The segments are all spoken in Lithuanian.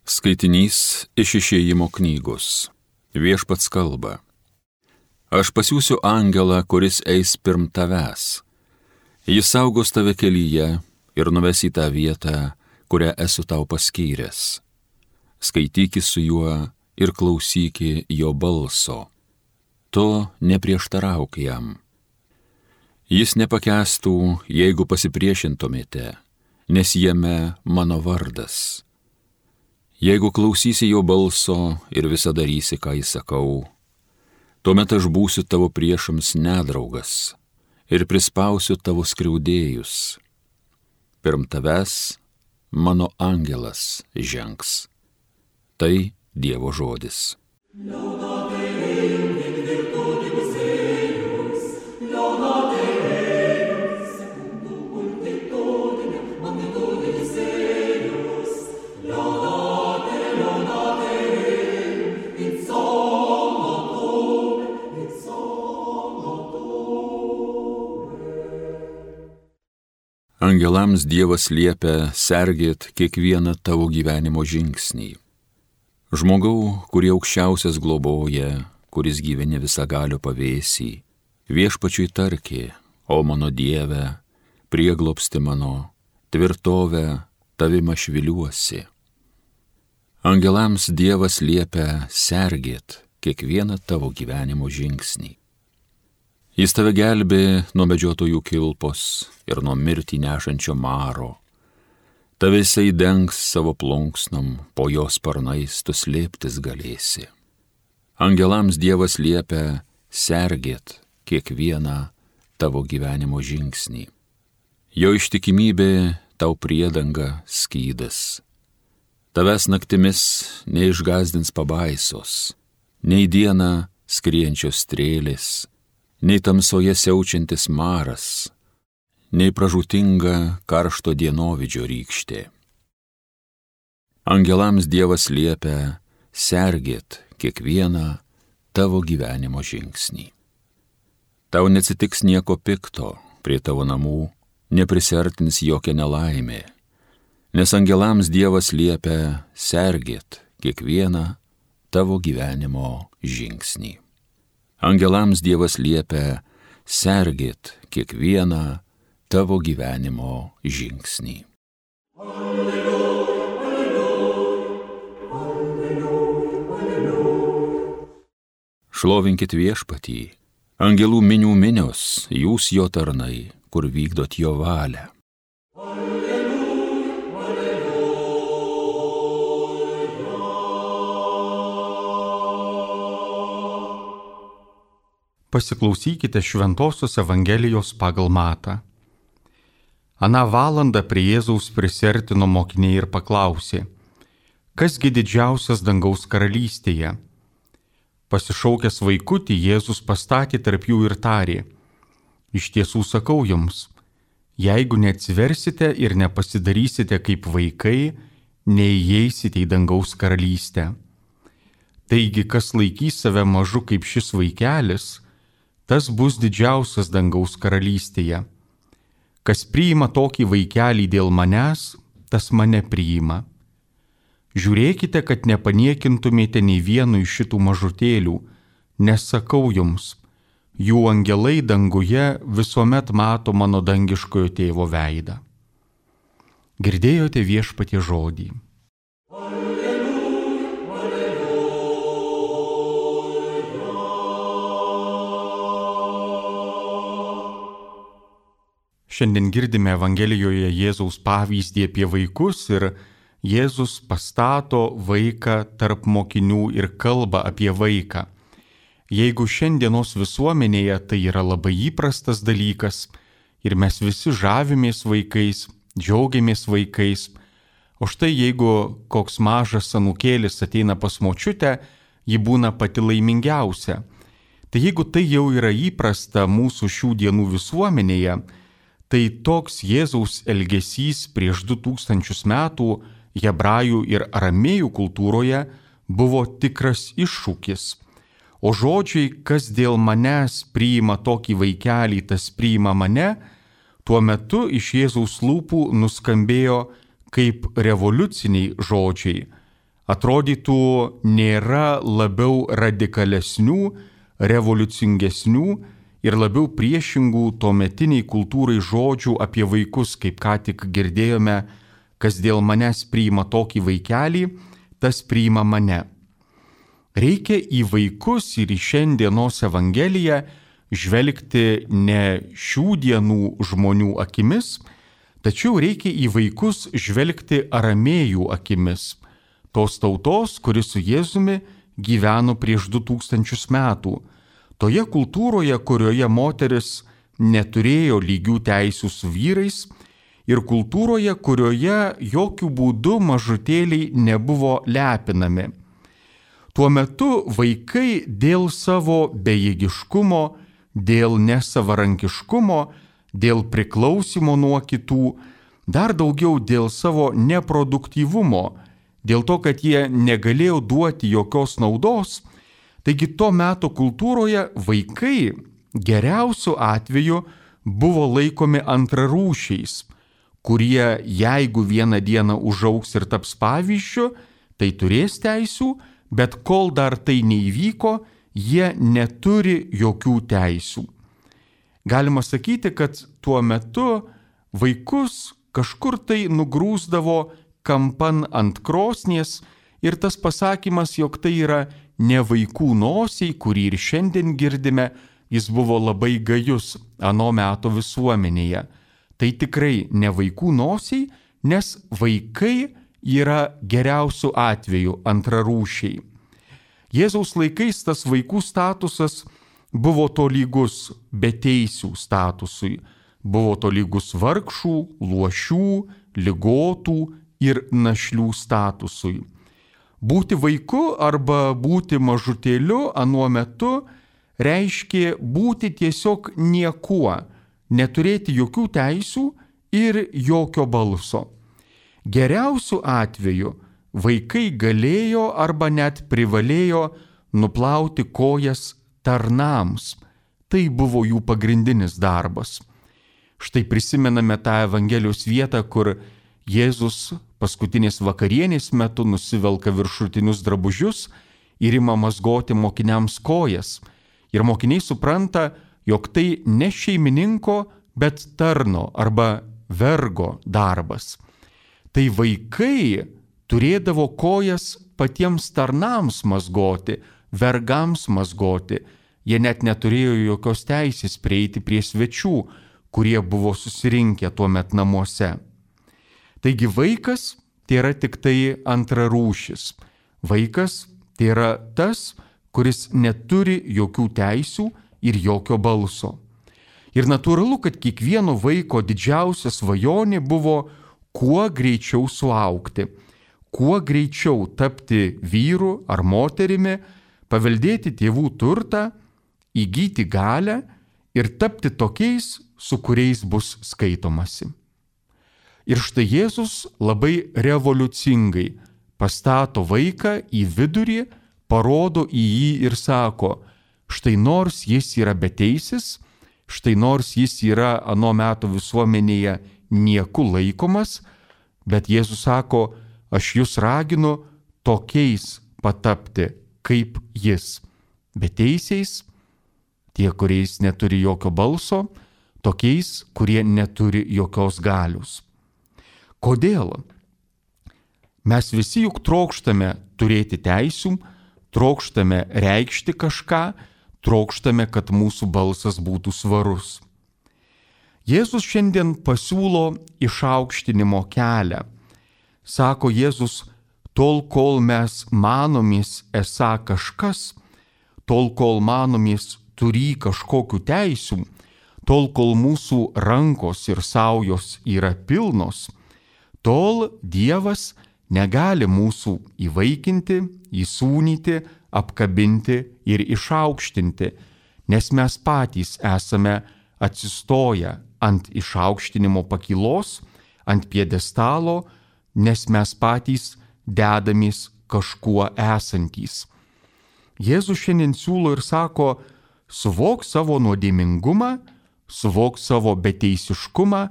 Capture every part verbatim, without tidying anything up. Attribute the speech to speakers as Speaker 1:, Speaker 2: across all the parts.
Speaker 1: Skaitinys iš Išėjimo knygos. Viešpats kalba. Aš pasiųsiu angelą, kuris eis pirm tavęs. Jis saugos tave kelyje ir nuves į tą vietą, kurią esu tau paskyręs. Skaityki su juo ir klausyki jo balso. To neprieštarauk jam. Jis nepakęstų, jeigu pasipriešintumėte, nes jame mano vardas. Jeigu klausysi jo balso ir visą darysi, ką įsakau, tuomet aš būsiu tavo priešams nedraugas ir prispausiu tavo skriaudėjus. Pirm tavęs mano angelas žengs. Tai Dievo žodis. Angelams Dievas liepia sergėt kiekvieną tavo gyvenimo žingsnį. Žmogau, kurį aukščiausias globoja, kuris gyveni visagalio pavėsį, viešpačiui tarki, o mano Dieve, prieglobsti mano, tvirtovę tavim aš viliuosi. Angelams Dievas liepia sergėt kiekvieną tavo gyvenimo žingsnį. Jis tave gelbė nuo medžiotojų kilpos ir nuo mirtį nešančio maro. Tave jisai dengs savo plunksnom, po jos sparnais tu slėptis galėsi. Angelams Dievas liepia sergėt kiekvieną tavo gyvenimo žingsnį. Jo ištikimybė tau priedanga skydas. Tavęs naktimis neišgazdins pabaisos, nei dieną skrienčios strėlės, nei tamsoje siaučiantis maras, nei pražūtinga karšto dienovidžio rykštė. Angelams Dievas liepia sergėt kiekvieną tavo gyvenimo žingsnį. Tau neatsitiks nieko pikto, prie tavo namų neprisiartins jokia nelaimė, nes angelams Dievas liepia sergėt kiekvieną tavo gyvenimo žingsnį. Angelams Dievas liepia sergėt kiekvieną tavo gyvenimo žingsnį. Alleluja, alleluja, alleluja, alleluja. Šlovinkit viešpatį, angelų minių minios, jūs jo tarnai, kur vykdot jo valią.
Speaker 2: Pasiklausykite Šventosios Evangelijos pagal Matą. Aną valandą prie Jėzaus prisiartino mokiniai ir paklausė, kasgi didžiausias dangaus karalystėje? Pasišaukęs vaikutį, Jėzus pastatė tarp jų ir tarė, iš tiesų sakau jums, jeigu neatsiversite ir nepasidarysite kaip vaikai, neįeisite į dangaus karalystę. Taigi, kas laikys save mažu kaip šis vaikelis, tas bus didžiausias dangaus karalystėje. Kas priima tokį vaikelį dėl manęs, tas mane priima. Žiūrėkite, kad nepaniekintumėte nei vienu iš šitų mažutėlių, nes sakau jums, jų angelai danguje visuomet mato mano dangiškojo tėvo veidą. Girdėjote viešpatie žodį. Šiandien girdime Evangelijoje Jėzaus pavyzdį apie vaikus ir Jėzus pastato vaiką tarp mokinių ir kalba apie vaiką. Jeigu šiandienos visuomenėje tai yra labai įprastas dalykas ir mes visi žavimės vaikais, džiaugiamės vaikais, o štai jeigu koks mažas anūkėlis ateina pas močiutę, ji būna pati laimingiausia. Tai jeigu tai jau yra įprasta mūsų šių dienų visuomenėje, tai toks Jėzaus elgesys prieš du tūkstančius metų hebrajų ir aramėjų kultūroje buvo tikras iššūkis. O žodžiai, kas dėl manęs priima tokį vaikelį, tas priima mane, tuo metu iš Jėzaus lūpų nuskambėjo kaip revoliuciniai žodžiai. atrodytų nėra labiau radikalesnių, revoliucingesnių ir labiau priešingų tuometiniai kultūrai žodžių apie vaikus, kaip ką tik girdėjome, kas dėl manęs priima tokį vaikelį, tas priima mane. Reikia į vaikus ir į šiandienos Evangeliją žvelgti ne šių dienų žmonių akimis, tačiau reikia į vaikus žvelgti aramėjų akimis, tos tautos, kuri su Jėzumi gyveno prieš du tūkstančius metų, toje kultūroje, kurioje moteris neturėjo lygių teisių su vyrais ir kultūroje, kurioje jokių būdų mažutėliai nebuvo lepinami. Tuo metu vaikai dėl savo bejėgiškumo, dėl nesavarankiškumo, dėl priklausimo nuo kitų, dar daugiau dėl savo neproduktyvumo, dėl to, kad jie negalėjo duoti jokios naudos, taigi to meto kultūroje vaikai geriausiu atveju buvo laikomi antrarūšiais, kurie jeigu vieną dieną užaugs ir taps pavyzdžiu, tai turės teisių, bet kol dar tai neįvyko, jie neturi jokių teisių. Galima sakyti, kad tuo metu vaikus kažkur tai nugrūsdavo kampan ant krosnies ir tas pasakymas, jog tai yra ne vaikų nosiai, kurį ir šiandien girdime, jis buvo labai gajus ano meto visuomenėje. Tai tikrai ne vaikų nosiai, nes vaikai yra geriausiu atveju antrarūšiai. Jėzaus laikais tas vaikų statusas buvo tolygus beteisių statusui, buvo tolygus vargšų, luošių, ligotų ir našlių statusui. Būti vaiku arba būti mažutėliu anuo metu reiškė būti tiesiog niekuo, neturėti jokių teisių ir jokio balso. Geriausiu atveju vaikai galėjo arba net privalėjo nuplauti kojas tarnams. Tai buvo jų pagrindinis darbas. Štai prisimename tą Evangelijos vietą, kur Jėzus paskutinės vakarienės metu nusivelka viršutinius drabužius ir ima mazgoti mokiniams kojas. Ir mokiniai supranta, jog tai ne šeimininko, bet tarno arba vergo darbas. Tai vaikai turėdavo kojas patiems tarnams mazgoti, vergams mazgoti. Jie net neturėjo jokios teisės prieiti prie svečių, kurie buvo susirinkę tuo met namuose. Taigi vaikas tai yra tik tai antrarūšis. Vaikas tai yra tas, kuris neturi jokių teisių ir jokio balso. Ir natūralu, kad kiekvieno vaiko didžiausia svajonė buvo kuo greičiau suaugti, kuo greičiau tapti vyru ar moterimi, paveldėti tėvų turtą, įgyti galią ir tapti tokiais, su kuriais bus skaitomasi. Ir štai Jėzus labai revoliucingai pastato vaiką į vidurį, parodo į jį ir sako, štai nors jis yra beteisis, štai nors jis yra ano meto visuomenėje nieku laikomas, bet Jėzus sako, aš jūs raginu tokiais patapti kaip jis. Beteisiais, tie, kuriais neturi jokio balso, tokiais, kurie neturi jokios galios. Kodėl? Mes visi juk trokštame turėti teisių, trokštame reikšti kažką, trokštame, kad mūsų balsas būtų svarus. Jėzus šiandien pasiūlo išaukštinimo kelią. Sako Jėzus, tol kol mes manomės esą kažkas, tol kol manomės turį kažkokių teisių, tol kol mūsų rankos ir saujos yra pilnos, tol Dievas negali mūsų įvaikinti, įsūnyti, apkabinti ir išaukštinti, nes mes patys esame atsistoję ant išaukštinimo pakylos, ant pjedestalo, nes mes patys dedamės kažkuo esantys. Jėzus šiandien siūlo ir sako, suvok savo nuodėmingumą, suvok savo beteisiškumą,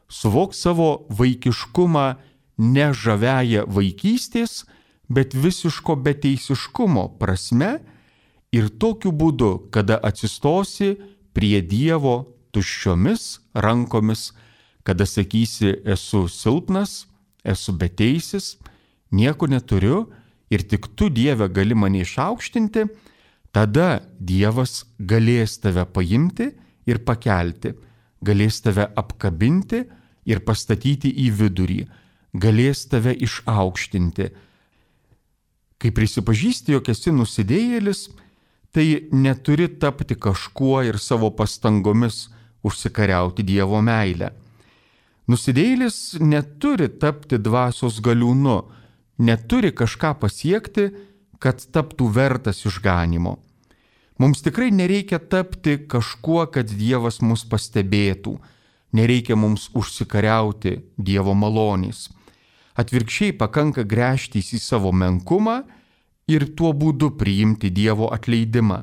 Speaker 2: suvok savo vaikiškumą ne žaviąją vaikystės, bet visiško beteisiškumo prasme ir tokiu būdu, kada atsistosi prie Dievo tuščiomis rankomis, kada sakysi, esu silpnas, esu beteisis, nieko neturiu ir tik tu, Dieve, gali mane išaukštinti, tada Dievas galės tave paimti ir pakelti, galės tave apkabinti ir pastatyti į vidurį, galės tave išaukštinti. Kai prisipažįsti, jog esi nusidėjėlis, tai neturi tapti kažkuo ir savo pastangomis užsikariauti Dievo meilę. Nusidėjėlis neturi tapti dvasios galiūnu, neturi kažką pasiekti, kad taptų vertas išganimo. Mums tikrai nereikia tapti kažkuo, kad Dievas mus pastebėtų, nereikia mums užsikariauti Dievo malonės. Atvirkščiai pakanka gręžtis į savo menkumą ir tuo būdu priimti Dievo atleidimą,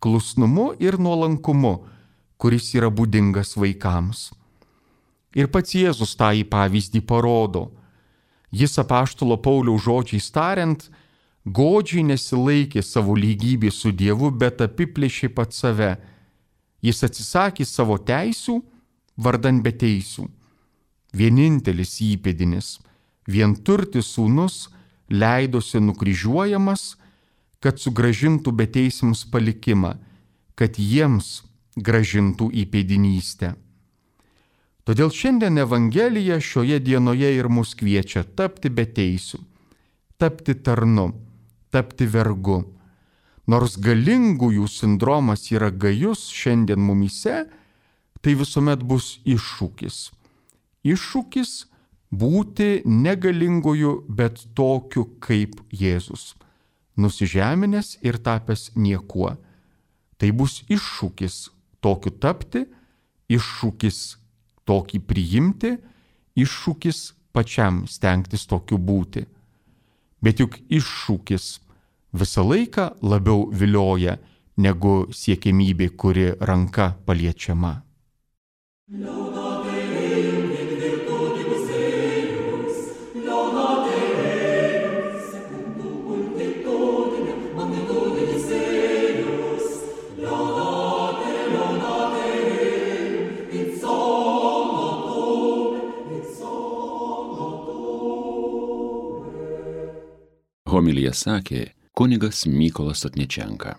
Speaker 2: klusnumu ir nuolankumu, kuris yra būdingas vaikams. Ir pats Jėzus tą į pavyzdį parodo. Jis apaštalo Pauliaus žodžiais tariant, godžiai nesilaikė savo lygybė su Dievu, bet apiplėšė pat save. Jis atsisakė savo teisių, vardan beteisių. Vienintelis įpėdinis, vienturtis sūnus leidosi nukryžiuojamas, kad sugrąžintų beteisiams palikimą, kad jiems grąžintų įpėdinystę. Todėl šiandien Evangelija šioje dienoje ir mus kviečia tapti beteisiu, tapti tarnu, tapti vergu. Nors galingųjų sindromas yra gajus šiandien mumyse, tai visuomet bus iššūkis. Iššūkis būti negalingųjų, bet tokiu kaip Jėzus, nusižeminęs ir tapęs niekuo. Tai bus iššūkis tokiu tapti, iššūkis tokį priimti, iššūkis pačiam stengtis tokiu būti. Bet juk iššūkis visą laiką labiau vilioja negu siekiamybė, kuri ranka paliečiama.
Speaker 1: Homiliją sakė kunigas Mykolas Otničenka.